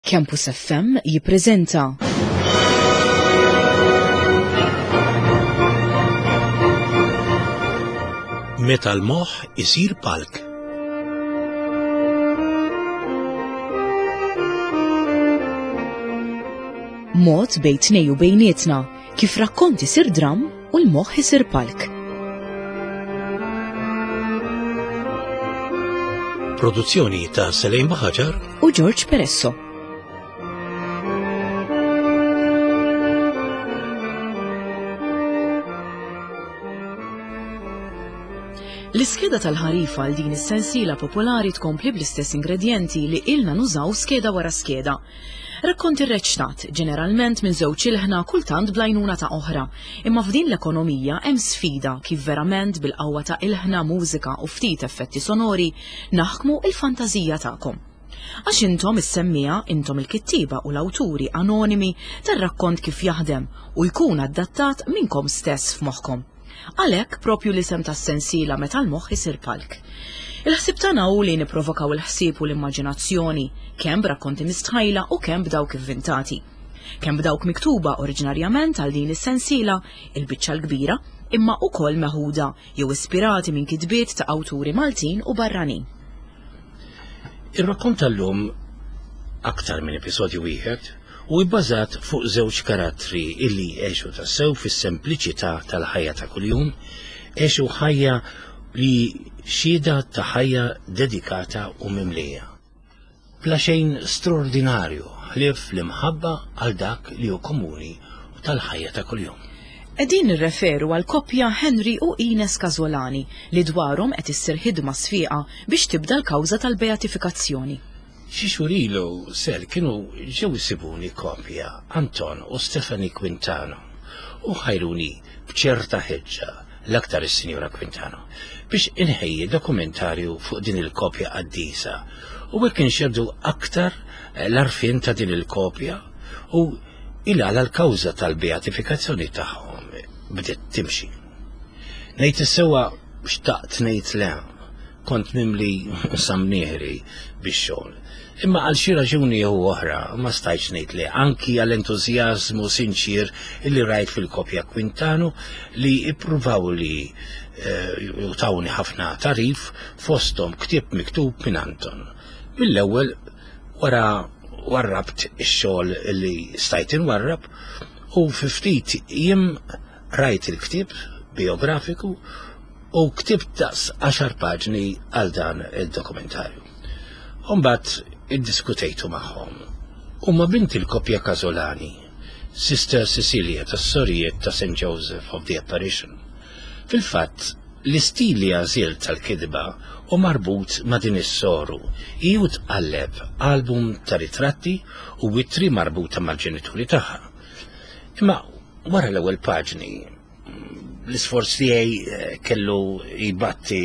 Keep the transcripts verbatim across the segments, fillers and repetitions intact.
Campus F M jippreżenta Meta l-moħħ isir palk. Mod bejn tnej u bejnietna kif rakkont isir dram u l-moħħ isir palk. Produzzjoni ta' Selejn Baħaġar u George Peresso. L-iskeda tal-ħarifa għal din is-sensiela popolari tkompli bl-istess ingredjenti li ilna nużaw skeda wara skeda. Rakkonti rreċtat, ġeneralment minn żewġ ilħna kultant bl-għajnuna ta' oħra, imma f'din l-ekonomija hemm sfida kif verament bil-qawwa ta' ilħna, mużika u ftit effetti sonori naħkmu il-fantażija tagħkom. Għax intom is-semmija, intom il-kittiba u l-awturi anonimi tar-rakkont kif jaħdem u jkun adattat minnkom stess f'moħħkom. Għalhekk propju l-isem tas-sensiela meta l-moħħ isir palk. Il-ħsieb tagħna hu li nipprovokaw il-ħsieb u l-immaġinazzjoni, kemm b'rakkonti mistħajla u kemm b'dawk ivvintati. Kemm b'dawk miktuba oriġinarjament għal din is-sensiela, il-biċċa l-kbira, imma wkoll meħuda jew ispirati minn kitbiet ta' awturi Maltin u barranin. Ir-rakkont tal-lum aktar minn episodju wieħed u bbażat fuq żewġ karattri illi għexu tassew fis-sempliċità tal-ħajja ta' kuljum, għexu ħajja li xhieda ta' ħajja dedikata u mimlija. Bla xejn straordinarju ħlief l-imħabba għal dak li hu komuni u tal-ħajja ta' kuljum. Qegħdin nirreferu għal koppja Henry u Ines Casolani li dwarhom qed issir ħidma sfiqa biex tibda l-kawża tal-beatifikazzjoni. Xi xhur ilu sel kienu ġew isibuni koppja Anton u Stephanie Quintano u ħajruni b'ċerta ħeġġa l-aktar is-Sinjura Quintano biex inħejji dokumentarju fuq din il-kopja qaddisa u hekk inxerdu aktar l-għarfien ta' din il-kopja u il-għala l-kawża tal-beatifikazzjoni tagħhom bdiet timxi. Ngħid is-sewwa xtaqt ngħid le, kont mimli samnieħri bix-xogħol. Imma għal xi raġuni jew oħra ma stajtx ngħid le, anki għall-entużjażmu sinċir illi rajt fil-kopja Quintano li ippruvaw li, eh, tawni ħafna tarif fosthom ktieb miktub minn Anton. Mill-ewwel wara warrabt ix-xogħol li stajt inwarrab u fi ftit jiem rajt il-ktieb biografiku u ktibt daqs għaxar paġni għal dan id-dokumentarju. Imbagħad iddiskutejtu magħhom. Huma bint il-koppja Casolani, Sister Cecilia tas-sorijiet ta' Saint Joseph of the Apparition. Fil-fatt, l-istil li għażilt tal-kitba u marbut ma' din is-soru hi u tqalleb album ta' ritratti u witri marbuta mal-ġenituri tagħha. Imma wara l-ewwel paġni, l-isforz tiegħi, eh, kellu jbatti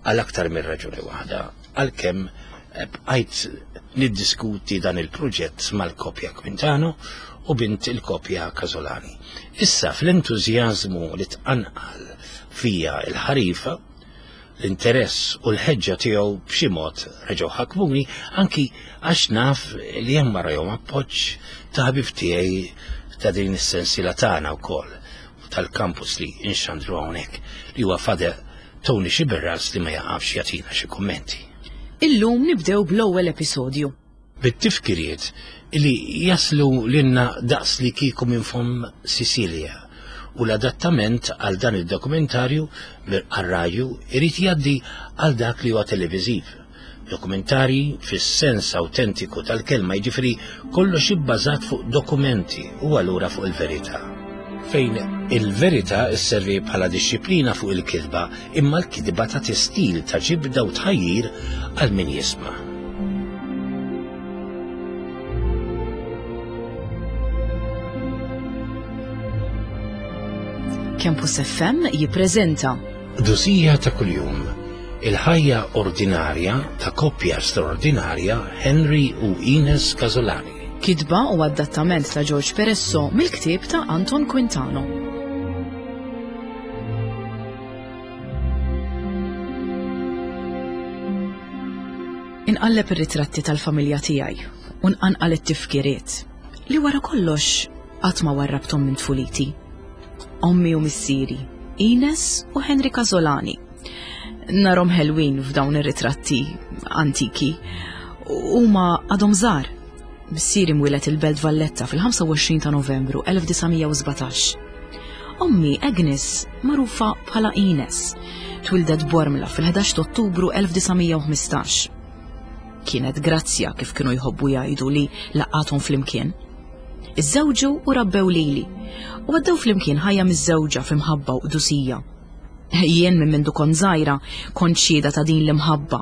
għal aktar minn raġuni waħda, għalkemm, eh, bqajt niddiskuti dan il-proġett mal-kopja Quintano u bint il-kopja Casolani. Issa fl-entużjażmu li tqanqal fija il-ħarifa, l-interess u l-ħeġġa tiegħu b'xi mod reġgħu ħakmuni, anki għax naf li hemm warahom appoġġ ta' ħabib tiegħi ta' din is-sensiela tagħna wkoll tal-kampus li inxandru hawnhekk, li huwa Father Tony Sciberras li ma jaqafx jagħtina xi kummenti. Illum nibdew bl-ewwel episodju. Bit-tifkiriet li jaslu lilna daqs li kieku minn fomm Sicilia u l-adattament għal dan id-dokumentarju għar-radju irid jgħaddi għal dak li huwa televiżiv. Dokumentarji fis-sens autentiku tal-kelma, jiġifieri kollox ibbażat fuq dokumenti u allura fuq il-verità. Fejn il-verità sservi bħala dixxiplina fuq il-kitba, imma l-kitba ta' tistil ta' ġibda u tħajjir għal min jisma'. Campus F M jippreżenta Dusija ta' kuljum, il-ħajja ordinarja ta' koppja straordinarja Henry u Ines Casolani. Kitba u adattament ta' George Peresso mill-ktieb ta' Anton Quintano. Inqalleb ir-ritratti tal-familja tiegħi u nqanqal it-tifkiriet li wara kollox qatt ma warrabthom minn tfuliti. Ommi u missieri, Ines u Henry Casolani. Narhom ħelwin f'dawn ir-ritratti antiki. Huma għadhom żgħar. Missieri mwieled il-Belt Valletta fil-ħamsa u għoxrin ta' Novembru elf disa' mija u sbatax. Ommi Agnes, magħrufa bħala Ines, twildet Bormla fil-ħdax ta' Ottubru elf disa' mija u ħmistax. Kienet grazzja kif kienu jħobbu jgħidu li laqathom flimkien. Iżżewġu u rabbew lili, u għaddew flimkien ħajja miżżewġa f'imħabba u qdusija. Jien minn mindu kont żgħira kont xhieda ta' din l-imħabba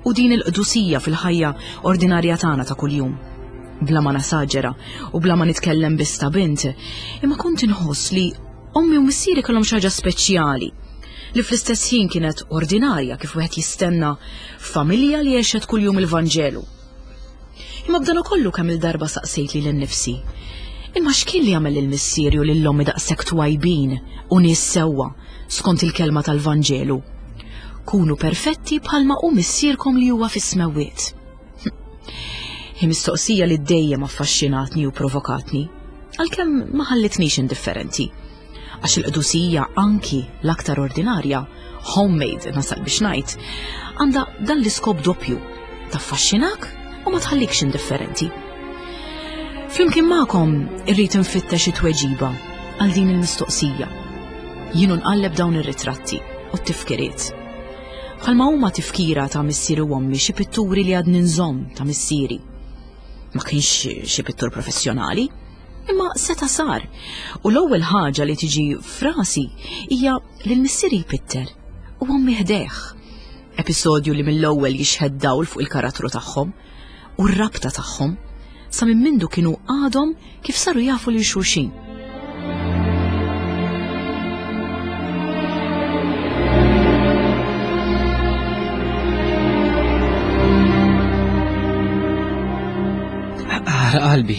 u din il-qdusija fil-ħajja ordinarja tagħna ta' kuljum. Bla ma nasaġera u bla ma nitkellem biss ta' bint, imma kont inħoss li ommi u missieri kellhom xi ħaġa speċjali li fl-istess ħin kienet ordinarja kif wieħed jistenna f'familja li għexet kuljum il-Vanġelu. Imma b'dan ukollu kemm il-darba saqsejt lili nnifsi, imma x'kien li għamel lil missieri u lil ommi daqshekk twajbin u nies sewwa skont il-kelma tal-Vanġelu? Kunu perfetti bħalma hu missierkom li huwa fis-smewwiet. Hi mistoqsija li dejjem affaxxinatni u provokatni, għalkemm ma ħallitnix indifferenti. Għax il-qdusija anki l-aktar ordinarja, homemade nasal biex ngħid, għandha dan l-iskop doppju, taffaxxinak u ma tħallikx indifferenti. Flimkien magħkom irrid infittex it-tweġiba għal din il-mistoqsija. Jienu nqalleb dawn ir-ritratti u t-tifkiriet. Bħalma huma tifkira ta' missieri u ommi xi pitturi li għadni nżomm ta' missieri. Ma kienx xi pittur professjonali, imma seta' sar. U l-ewwel ħaġa li tiġi frasi hija li l-missieri jpitter u ommi ħdejh. Episodju li mill-ewwel jixħed dawl fuq il-karattru tagħhom u r-rabta tagħhom sa minn mindu kienu għadhom kif saru jafu lil xulxin. Ara qalbi,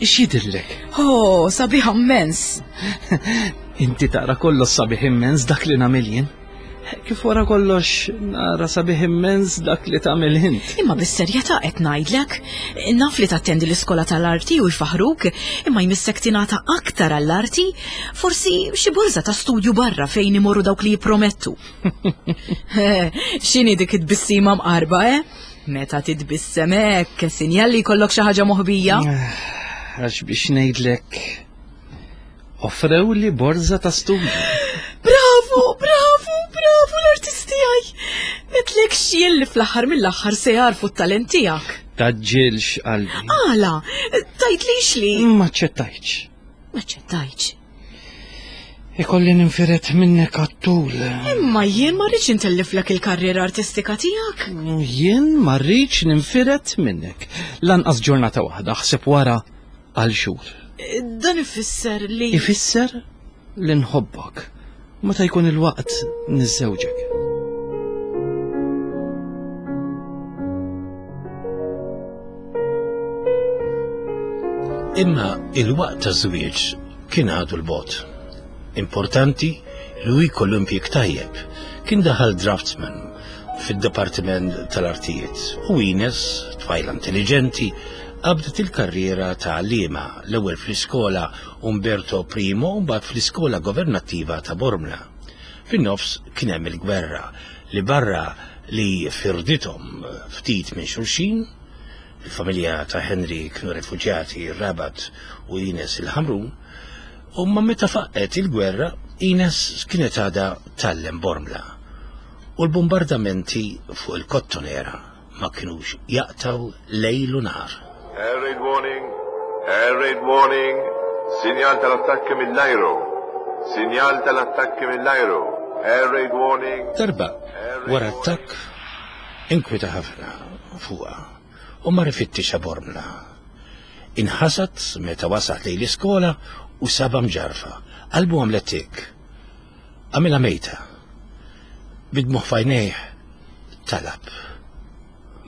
x'jidhirlek? Oh, sabiħ immens. Inti taqra kollox sabiħ immens dak li nagħmel jien. Kif wara kollox nara sabiħ immens dak li tagħmel int. Imma bis-serjetà qed ngħidlek, naf li tattendi l-iskola tal-arti u jfaħruk, imma jmissek tingħata aktar għall-arti, forsi xi borża ta' studju barra fejn imorru dawk li jippromettu. X'inhi dik it-tbissima mqarba, eh? Meta titbissem hekk, sinjal li jkollok xi ħaġa moħbija. Għax biex ngħidlek, offrew li borża ta' studju. Bravo, bravo, bravo l-artist tiegħi. Għedtlek x'jien li fl-aħħar mill-aħħar se jarfu t-talent tiegħek. Taġġilx qalbi. Għala, tajtlix li. Ma ċċettajtx. Ma ċċettajtx. Ikolli ninfiret minnek għat-tul. Imma jien ma rridx intelliflek il-karriera artistika tiegħek. Jien ma rridx ninfiret minnek. Lanqas ġurnata waħda, ħseb wara għal xhur. Dan ifisser li Ifisser li nħobbok. Meta jkun il-waqt niżżewġek. Imma il-waqt ta' żwieġ kien għadu l-bot. Importanti li hu jkollu impjieg tajjeb. Kien daħal draftsman fid-Dipartiment tal-Artijiet u Ines, tfajla intelligenti, qabdet il-karriera ta' għalliema l-ewwel fl-iskola Umberto Primo u mbagħad fl-iskola governattiva ta' Bormla. Fin-nofs kien hemm il-gwerra li barra li firdithom ftit minn xulxin, il-familja ta' Henry kienu refuġjati r-Rabat u Ines il-Ħamrun, u ma meta faqqet il-gwerra, Ines kienet għadha tgħallem Bormla u l-bombardamenti fuq il-Kottonera ma kinux jaqtaw lejl u nhar. Air raid warning, air raid warning, sinjal tal-attakki mill-ajru, sinjal tal-attakki mill-ajru, air raid warning. Darba wara attakk inkwita ħafna fuqha u ma rifittixha Bormla. Inħasad meta wasat lejn l-iskola u saba mġarfa. Qalbu għamlet tik. Għamilha mejta. Bidmuħ fajnejh talab.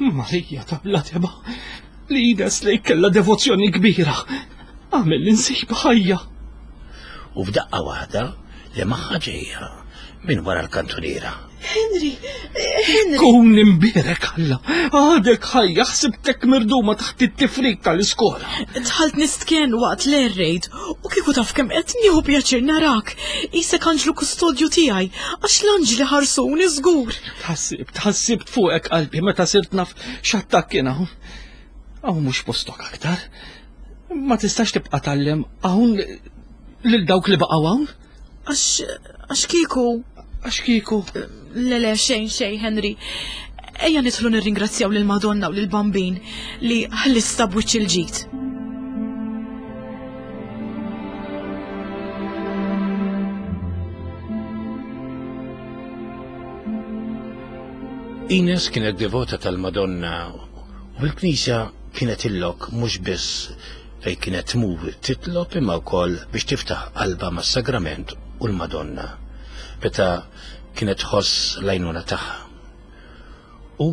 Marija ta' bla teba, li Ines lejk kellha devozzjoni kbira. Għamel l-insib ħajja. U f'daqqa waħda li magħha ġejja minn wara l-kantuniera. Henry, Henry. Kun imbierek Alla, għadek ħajja, ħsibtek mirduma taħt it-tifrik tal-iskola. Dħalt nistken waqt l-air raid u kieku taf kemm qed nieħu pjaċir narak. Isek anġlu kustodju tiegħi għax l-anġli ħarsuni żgur. Tħassibt, tħassibt fuqek qalbi meta sirt naf x'attakk kien hawn. Hawn mhux postok aktar. Ma tistax tibqa' tgħallem hawn lil dawk li baqgħu hawn. Għax għax kieku. Għax kieku. Le le xejn xejn Henry. Ejja nidħlu nirringrazzjaw lil Madonna u lil Bambin li ħlista b'wiċċ il-ġid. Ines kienet devota tal-Madonna u l-Knisja kienet illok mhux biss fejn kienet tmur titlob imma wkoll biex tiftaħ qalbha mas-Sagrament u l-Madonna meta kienet tħoss l-għajnuna tagħha. U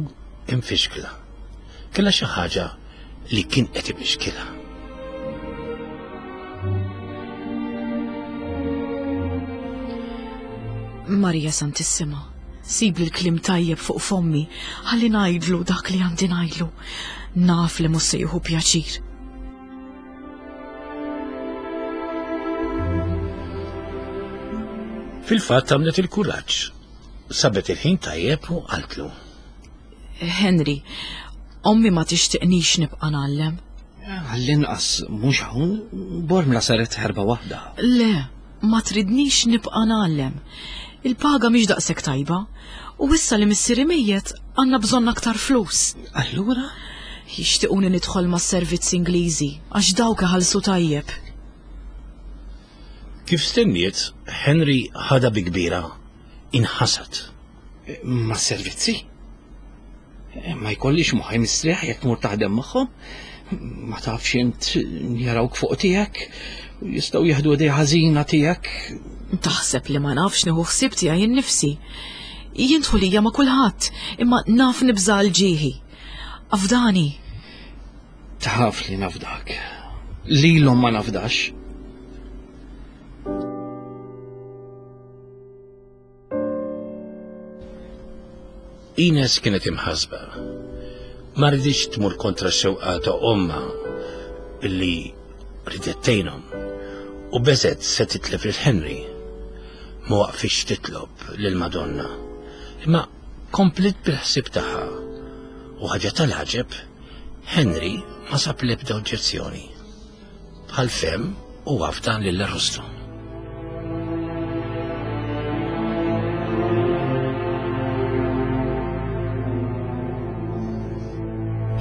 imfixkla. Kellha xi ħaġa li kien qed ifixkilha. Marija Santissima, sib li l-kliem tajjeb fuq fommi, ħalli ngħidlu dak li għandi ngħidlu. Naf li mhux se jieħu pjaċir. Fil-fatt għamlet il-kuraġġ. Sabet il-ħin tajjeb u qaltlu. Henry, ommi ma tixtiqnix nibqa' ngħallem. Għall-inqas mhux hawn, Bormla saret ħerba waħda. Le, ma tridnix nibqa' ngħallem. Il-paga mhix daqshekk tajba, u issa li missieri mejjet għandna bżonn aktar flus. Allura? Jixtiequni nidħol mas-servizz Ingliżi għax dawk iħallsu tajjeb. Kif stenniet, Henry ħadha bi kbira, inħasad. Ma' servizzi? Ma jkollix moħħi mistrieħ jekk tmur taħdem magħhom? Ma tafx int jarawk fuq tiegħek, jistgħu jieħdu idea ħażina tiegħek. Taħseb li ma nafx nieħu ħsieb tiegħi innifsi. Jien dħulija ma' kulħadd, imma naf nibża' għal ġieħi. Afdani. Taf li nafdak. Lilhom ma nafdax. Ines kienet imħasba. Ma riditx tmur kontra x-xewqa ta' ommha illi ridet tgħinhom u beżgħet se titlef lil Henry. Ma waqfitx titlob lil Madonna, imma komplet bil-ħsieb tagħha. U ħaġa tal-għaġeb, Henry ma sab l-ebda oġġezzjoni. Bħal fem u afdan lil Arrustu.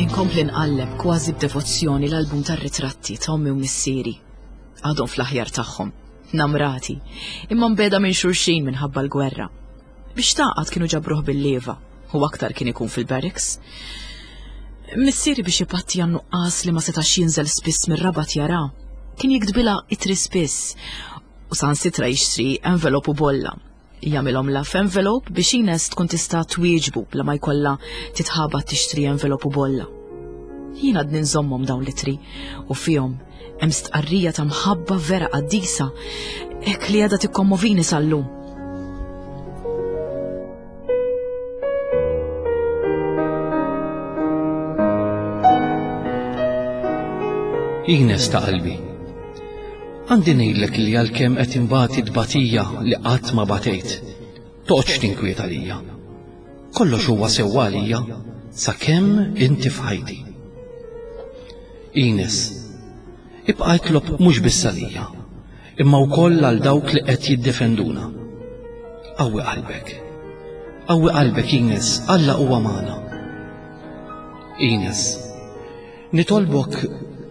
Inkompli nqalleb kważi b'devozzjoni l-album tar-ritratti ta' ommi u missieri. Għadhom fl-aħjar tagħhom, namrati, imma mbeda minn xulxin minħabba l-gwerra. Biex taqgħad kienu ġabruh bil-leva u aktar kien ikun fil-barracks. Missieri biex ipatti għan-nuqqas li ma setax jinżel spiss mir-Rabat jara, kien jiktbilha itri spiss u sansitra jixtri envelop u bolla. Jagħmilhom la f'envelop biex Ines tkun tista' twieġbu bla ma jkollha titħabat tixtri envelop u bolla. Jien għadni nżommhom dawn l-itri u fihom hemm stqarrija ta' mħabba vera qaddisa hekk li għadha tikkommovini sal-lum. Ines ta' qalbi. Għandi ngħidlek li għalkemm qed inbati tbatija li qatt ma batejt, toqgħodx tinkwiet għalija. Kollox huwa sewwa għalija sakemm inti f'ħajti. Ines, ibqa' itlob mhux biss għalija, imma wkoll għal dawk li qed jiddefenduna. Qawwi qalbek. Qawwi qalbek Ines, Alla huwa magħna. Ines, nitolbok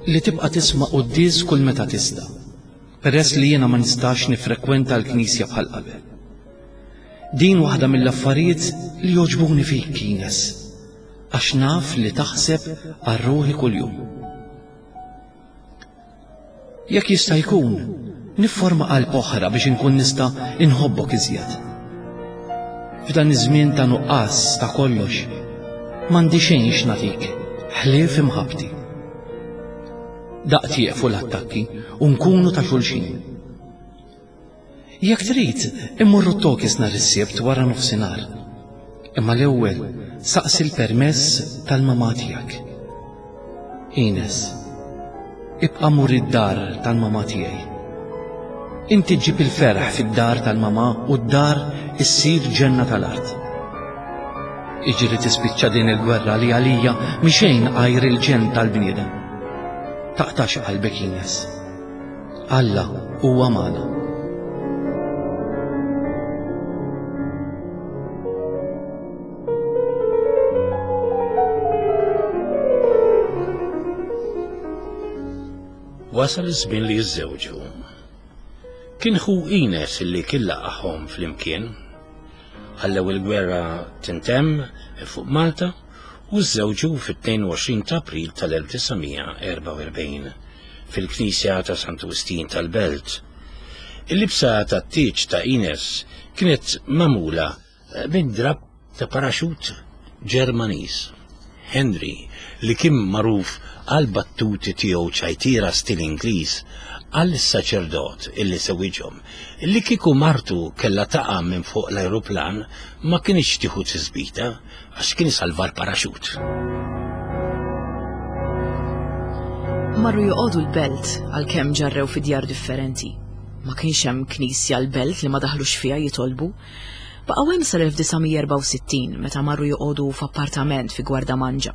li tibqa' tisma' quddies kull meta tista', peress li jiena ma nistax nifrekwenta l-knisja bħal qabel. Din waħda mill-affarijiet li jogħġbuni fik, Ines, għax naf li taħseb għal ruħi kuljum. Jekk jista' jkun, nifforma qalb oħra biex inkun nista' inħobbok iżjed. F'dan iż-żmien ta' nuqqas ta' kollox, m'għandi xejn x'nagħtik, ħlief imħabbti. Daqt jieqfu l-attakki u nkunu ta' xulxin. Jekk trid, immorru t-Tokis nhar is-Sibt wara nofsinhar. Imma l-ewwel saqsi l-permess tal-mamà tiegħek. Ines, ibqa' mur id-dar tal-mamà tiegħi. Inti ġġib il-ferħ fid-dar tal-mamà u d-dar issir ġenna tal-art. Iġri tispiċċa din il-gwerra li għalija mhi xejn għajr il-ġenn tal-bniedem. Taqtax qalbek, Ines. Alla huwa magħna. Wasal iż-żmien li jiżżewġu. Kien ħu Ines li kien laqahom flimkien. Ħallew il-gwerra tintemm fuq Malta u żżewġu fit-tnejn u għoxrin ta' April tal-elf disa' mija erbgħa u erbgħin fil-Knisja ta' Santu Wistin tal-Belt. Il-libsa tat-tieġ ta' Ines kienet magħmula minn drab ta' paraxut Ġermaniż. Henry, li kien magħruf għal battuti tiegħu ċajtira stil Ingliż, għal saċerdot illi sewiġhom, li kieku martu kellha taqa' minn fuq l-ajruplan ma kienx tieħu tisbita għax kien isalva l-paraxut. Marru joqogħdu l-belt għalkemm ġarrew fi djar differenti. Ma kienx hemm knisja l-belt li ma daħlux fiha jitolbu. Baqgħu hemm sal-elf disa' mija erbgħa u sittin meta marru joqogħdu f'appartament fi Gwardamanġa.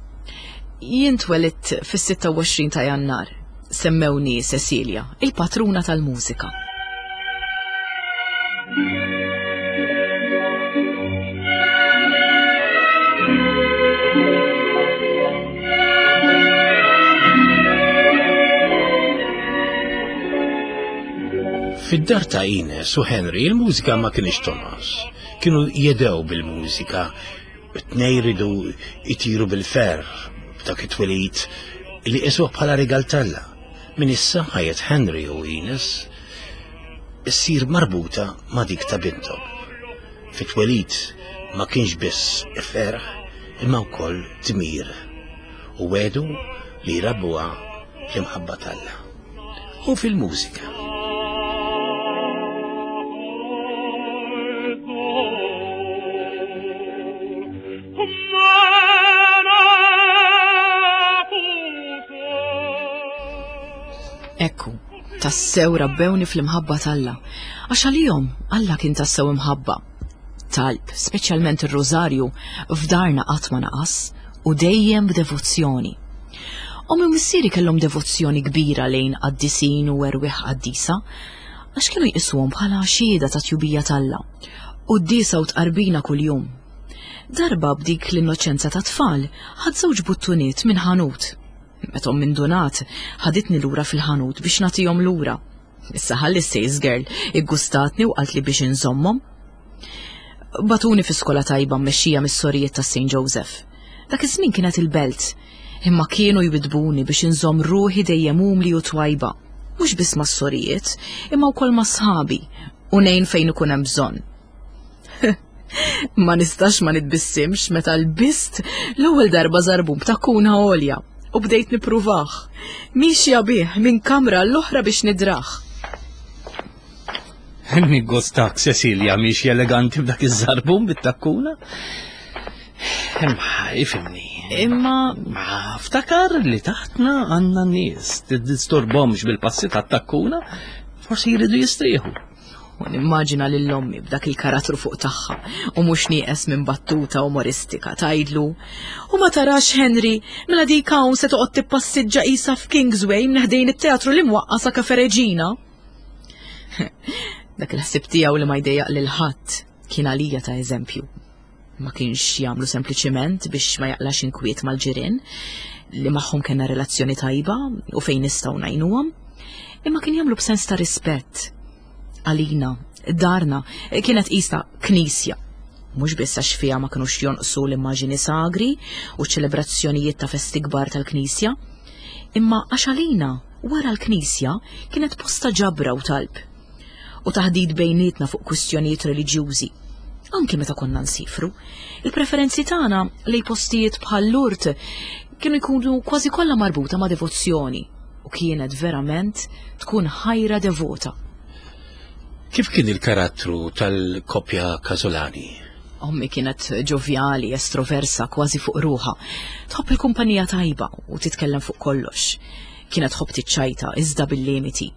Jien twelidt fis-sitta u għoxrin ta' Jannar. Semmewni Cecilia, il-patruna tal-mużika. Fid-dar ta' Ines u Henry il-mużika ma kienx tonqos. Kienu jedew bil-mużika, tnej ridu jtiru bil-ferħ b'dak it-twelid li qisuh bħala rigal talla. Min issa ħajjet Henry u Ines issir marbuta ma' dik ta' binthom. Fit-twelid ma kienx biss ferħ imma wkoll dmir u wedu li jrabbuha fl-imħabba talla u fil-mużika. Ekku, tassew rabbewni fl-imħabba t'Alla, għax għalihom Alla kien tassew imħabba. Talb, speċjalment ir-rożarju, f'darna qatt ma naqas u dejjem b'devozzjoni. Ommi u missieri kellhom devozzjoni kbira lejn qaddisin u erwieħ qaddisa, għax kienu jqisuhom bħala xhieda ta' tjubija t'Alla, quddiesa u tqarbina kuljum. Darba b'dik l-innoċenza ta' tfal, ħadd żewġ buttuniet minn ħanut. Meta minn donat, ħaditni lura fil-ħanut biex nagħtihom lura. Issa ħalli s-sales girl iggustatni u qaltli biex inżommhom. Batuni fi skola tajba mmexxija mis-sorijiet ta' Saint Joseph. Dak iż-żmien kienet il-belt, imma kienu jwidbuni biex inżomm ruħi dejjem umli u twajba. Mhux biss mas-sorijiet, imma wkoll ma' sħabi u ngħin fejn ikun hemm bżonn. Ma nistax ma nitbissimx meta lbist l-ewwel darba żarbun b'takkuna għolja u bdejt nippruvah. Mixja bih minn kamra l-oħra biex nidrah. Niggostak, Cecilia, mixja eleganti b'dak iż-żarbun bit-takkuna. Imma, ifhimni. Imma Ma ftakar li taħtna għandna n-nies, tiddisturbhomx bil-passi tat-takkuna, forsi jridu jistrieħu. U nimmaġina lil ommi b'dak il-karattru fuq tagħha u mhux nieqes minn battuta umoristika tgħidlu. U ma tarax Henry, mela dik hawn se toqgħod tippassiġġa qisha f'Kingsway minn ħdejn it-teatru li mwaqqa' sa Cafe Regina. Dak il-ħsieb tiegħu li ma jdejjaq lil ħadd kien għalija ta' eżempju. Ma kienx jagħmlu sempliċiment biex ma jaqlax inkwiet mal-ġirien li magħhom kellna relazzjoni tajba u fejn nistgħu ngħinuhom, imma kien jagħmlu b'sens ta' rispett. Għalina, darna, kienet qisha knisja. Mhux biss għax fiha ma kinux jonqsu l-immaġini sagri u ċelebrazzjonijiet ta' festi kbar tal-knisja, imma għax għalina wara l-knisja kienet posta ġabra u talb u taħdid bejnietna fuq kwistjonijiet reliġjużi. Anki meta konna nsifru, il-preferenzi tagħna lejn postijiet bħal Lourdes kienu jkunu kważi kollha marbuta ma' devozzjoni u kienet verament tkun ħajra devota. Kif kien il-karattru tal-koppja Casolani? Ommi kienet ġovjali, estroversa, kważi fuq ruħha. Tħobb il-kumpanija tajba u titkellem fuq kollox. Kienet tħobb tiċċajta, iżda bil-limiti.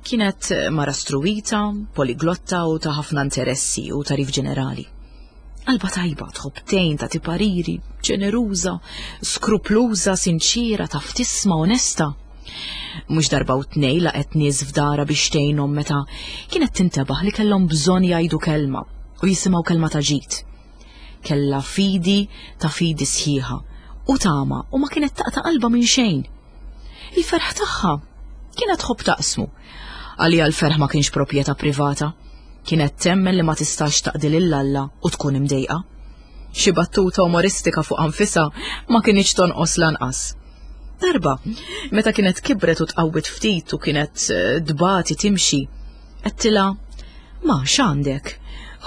Kienet mara struwita, poliglotta u ta' ħafna interessi u tarif ġenerali. Qalba tajba, tħobb tgħin, tagħti pariri, ġeneruża, skrupluża, sinċira, taf tisma' onesta. Mhux darba u tnejn laqgħet nies f'dara biex tgħinhom meta kienet tintebaħ li kellhom bżonn jgħidu kelma u jisimgħu kelma ta' ġid. Kellha fidi ta' fidi sħiħa u tama u ma kienet taqta' qalba minn xejn. Il-ferħ tagħha kienet tħobb taqsmu. Għalija l-ferħ ma kienx proprjetà privata. Kienet temmen li ma tistax taqdi lil Alla u tkun imdejqa. Xi battuta umoristika fuq anfisha ma kienx tonqos lanqas. Darba, meta kienet kibret u tqawwit ftit u kienet dbati timxi, għedtilha, "Ma x'għandek?"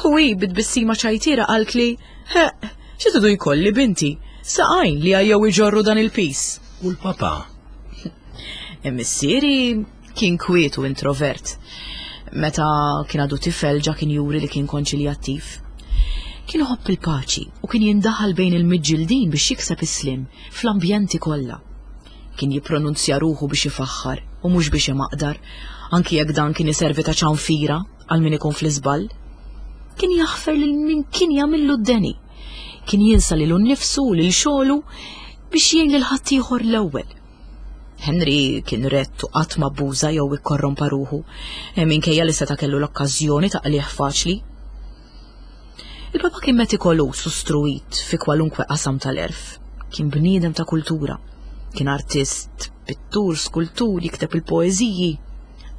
U hi bit-tbissima ċajtira qaltli, "Heq, xi tridu jkolli binti, saqajn li għajjew iġorru dan il-pis." U l-papa? Missieri kien kwiet u introvert. Meta kien għadu tifel ġa kien juri li kien konċiljattiv. Kien iħobb il-paċi u kien jindaħal bejn il-miġġildin biex jikseb is-slim fl-ambjenti kollha. Kien jippronunzja ruħu biex ifaħħar u mhux biex imaqdar, anki jekk dan kien iservi ta' ċanfira għal min ikun fl-iżball. Kien jaħfer lil min kien jagħmillu d-deni. Kien jinsa lilu nnifsu u lil xogħlu biex jgħin lil ħaddieħor l-ewwel. Henry kien rett u qatt ma abbuża jew ikkorrompa ruħu, minkejja li seta' kellu l-okkażjoni ta' qligħ faċli. Il-papa kien metikoluż u struwit fi kwalunkwe qasam tal-erf. Kien bniedem ta' kultura. Kien artist, pittur, skultur, jikteb il-poeżiji.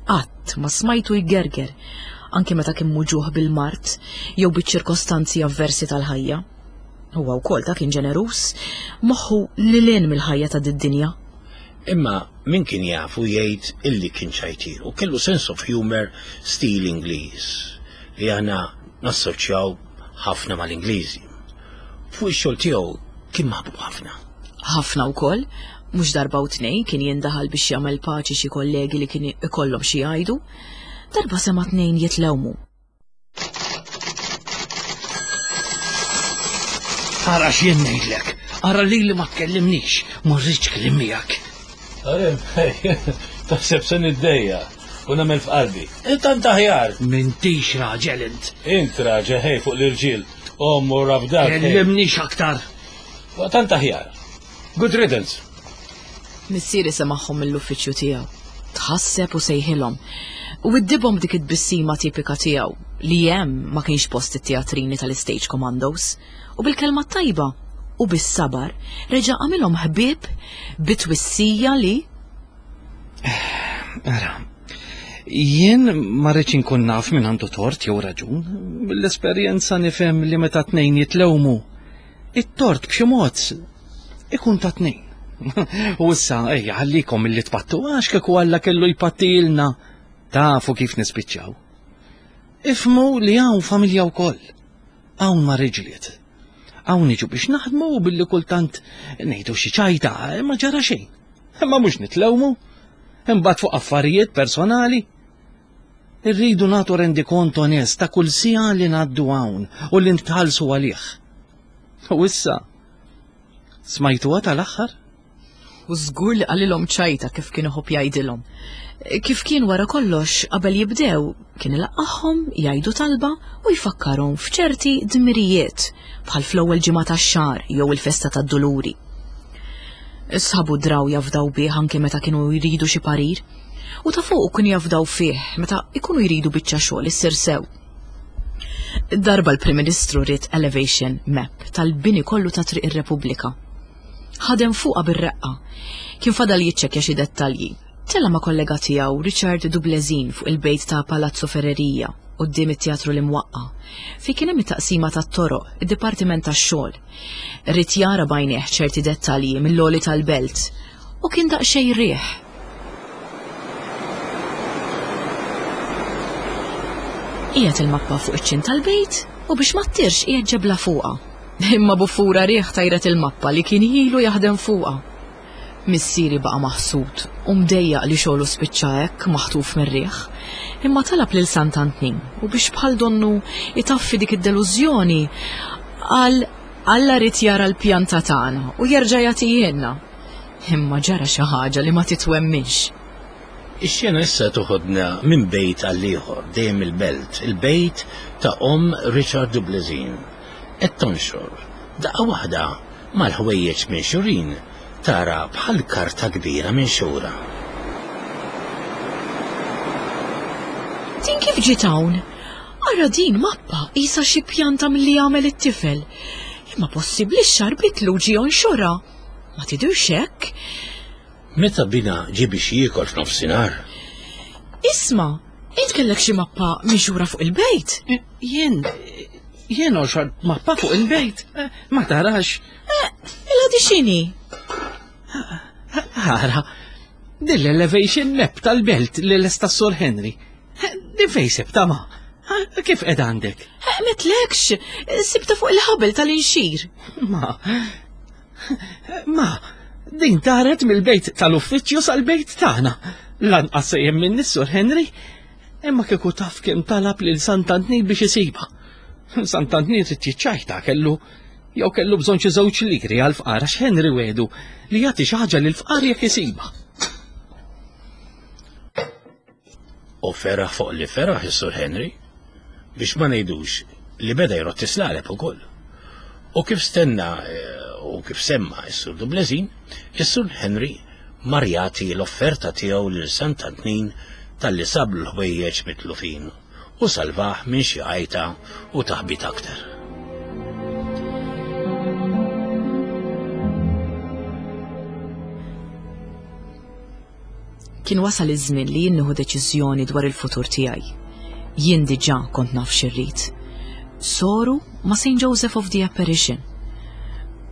Qatt ma smajtu jgerger, anki meta kien muġuħ bil-mard jew biċ-ċirkostanzi avversi tal-ħajja. Huwa wkoll ta' kien ġeneruż, moħħu lil hinn mill-ħajja ta' did-dinja. Imma min kien jafu jgħid illi kien ċajtir u kellu sense of humor stil Ingliż li aħna nassoċjaw ħafna mal-Ingliżi. Fuq ix-xogħol tiegħu kien maħbub ħafna. Ħafna wkoll, mhux darba u tnejn kien jindaħal biex jagħmel paċi xi kollegi li kien ikollhom xi jgħidu. Darba sema' tnejn jitlewmu. Ara x'jien ngħidlek, ara lili ma tkellimnix, ma rridx kliem miegħek. Taħseb se niddejja u nagħmel f'qalbi. Intant aħjar. M'intix raġel int. Int raġel ħej fuq l-irġiel. Omm u rabdak. Kellimnix aktar. Tant aħjar. Good riddance. Missieri semagħhom mill-uffiċċju tiegħu. Tħasseb u sejħilhom. U iddibhom dik it-tbissima tipika tiegħu li hemm ma kienx post it-teatrini tal-Stage Commandos. U bil-kelma tajba u bis-sabar reġa' għamilhom ħbieb bitwissija li Ara, jien ma rridx inkun naf min għandu tort jew raġun. Mill-esperjenza nifhem li meta tnejn jitlewmu, it-tort b'xi mod ikun ta' tnejn. U issa ejja ħallikom milli tpattu għax kieku Alla kellu jpattilna tafu kif nispiċċaw. Ifhmu li hawn familja wkoll. Hawn ma riġliet. Hawn niġu biex naħdmu u billi kultant ngħidu xi ċajta, ma ġara xejn. Imma mhux nitlewmu. Imbagħad fuq affarijiet personali. Irridu nagħtu rendikont onest ta' kull siegħa li ngħaddu hawn u li ntħallsu għalih. U issa smajtuha tal-aħħar? U żgur li qalilhom ċajta kif kien iħobb jgħidilhom. Kif kien wara kollox qabel jibdew, kien ilaqqagħhom, jgħidu talba u jfakkarhom f'ċerti dmirijiet bħal fl-ewwel ġimgħa tax-xahar jew il-festa tad-Duluri. Sħabu draw jafdaw bih anke meta kienu jridu xi parir, u ta' fuq kienu jafdaw fih meta ikunu jridu biċċa xogħol issir sew. Darba l-Prim Ministru ried elevation map tal-bini kollu ta' Triq ir-Repubblika. Ħadem fuqha bir-reqqa. Kien fadal jiċċekkja xi dettalji. Tella ma' kollega tiegħu Richard Dublezin fuq il-bejt ta' Palazzo Ferreria quddiem it-teatru l-imwaqqa. Fi kien hemm it-taqsima tat-toroq, id-dipartiment tax-xogħol. Ried jara b'għajnejh ċerti dettalji mill-għoli tal-belt u kien daqsxejn riħ. Qiegħed il-mappa fuq iċ-ċint tal-bejt u biex ma ttirx qiegħed ġebla fuqha. Imma buffura riħ tajret il-mappa li kien ilu jaħdem fuqha. Missieri baqa' maħsud u mdejjaq li xogħlu spiċċa hekk maħtuf mir-riħ. Imma talab lil Sant'Antnin u biex bħal donnu itaffi dik id-delużjoni qal Alla rid jara l-pjanta tagħna u jerġa' jagħtihielna. Imma ġara xi ħaġa li ma titwemminx. Ix-xena issa toħodna minn bejt għal ieħor dejjem il-belt, il-bejt ta' omm Richard Dublezin. Qed tonxor, daqqa waħda mal-ħwejjeġ minxurin tara bħal karta kbira minxura. Din kif ġiet hawn? Ara din mappa qisha xi pjanta milli jagħmel it-tifel. Imma possibbli x-xarbitlu ġie jonxorha. Ma tidhirx hekk? Meta bina ġie biex jiekol f'nofsinhar. Isma', int kellek xi mappa minxura fuq il-bejt? Jien, jien onxort mappa fuq il-bejt, ma tarax. Illa di x'inhi? Ara, din l-elevation map tal-belt li lesta s-Sur Henry. Din fejn sibta ma? Kif qed għandek? Metlekx, sibta fuq il-ħabel tal-inxir. Ma, ma, din taret mill-bejt tal-uffiċċju sal-bejt tagħna. Lanqas se jemmen is-Sur Henry, imma kieku taf kemm talab lil Sant'Antnin biex isibha. Sant'Antnin trid jiċċajta kellu jew kellu bżonn xi żewġ liri għal fqar għax Henry wedu li jagħti xi ħaġa lil fqar jekk isibha. U feraħ fuq li feraħ is-Sur Henry biex ma ngħidux li beda jrott islaleb ukoll. U kif stenna u kif semma s-Sur Dublezin, is-Sur Henry mar jagħti l-offerta tiegħu lil Sant'Antnin talli sablu l-ħwejjeġ mitlufin u salvah minn xi għajta u taħbit aktar. Kien wasal iż-żmien li jien nieħu deċiżjoni dwar il-futur tiegħi. Jien diġà kont naf x'irrid. Soru ma' Saint Joseph of the Apparition.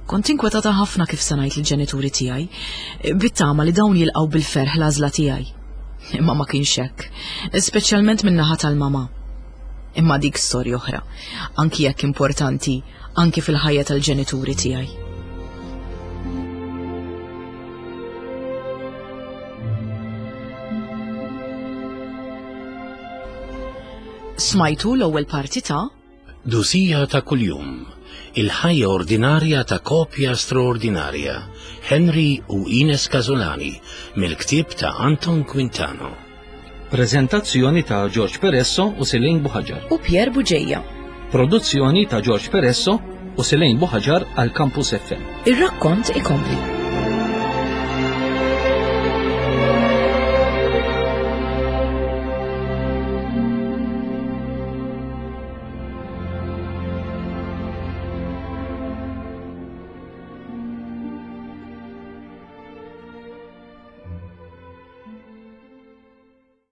Kont inkwetata ħafna kif se ngħid lill-ġenituri tiegħi, bit-tama li dawn jilqgħu bil-ferħ l-għażla tiegħi. Imma ma kienx hekk, speċjalment min-naħa tal-mama. Imma dik storja oħra, anki jekk importanti, anki fil-ħajja tal-ġenituri tiegħi. Smajtu l-ewwel parti ta' Dusija ta' kuljum, il-ħajja ordinarja ta' kopja straordinarja, Henry u Ines Casolani, mill-ktieb ta' Anton Quintano. Prezentazzjoni ta' George Peresso u Selene Buhaġar. U Pierre Bugeja. Produzzjoni ta' George Peresso u Selene Buhaġar għal Campus F M. Ir-rakkont ikompli.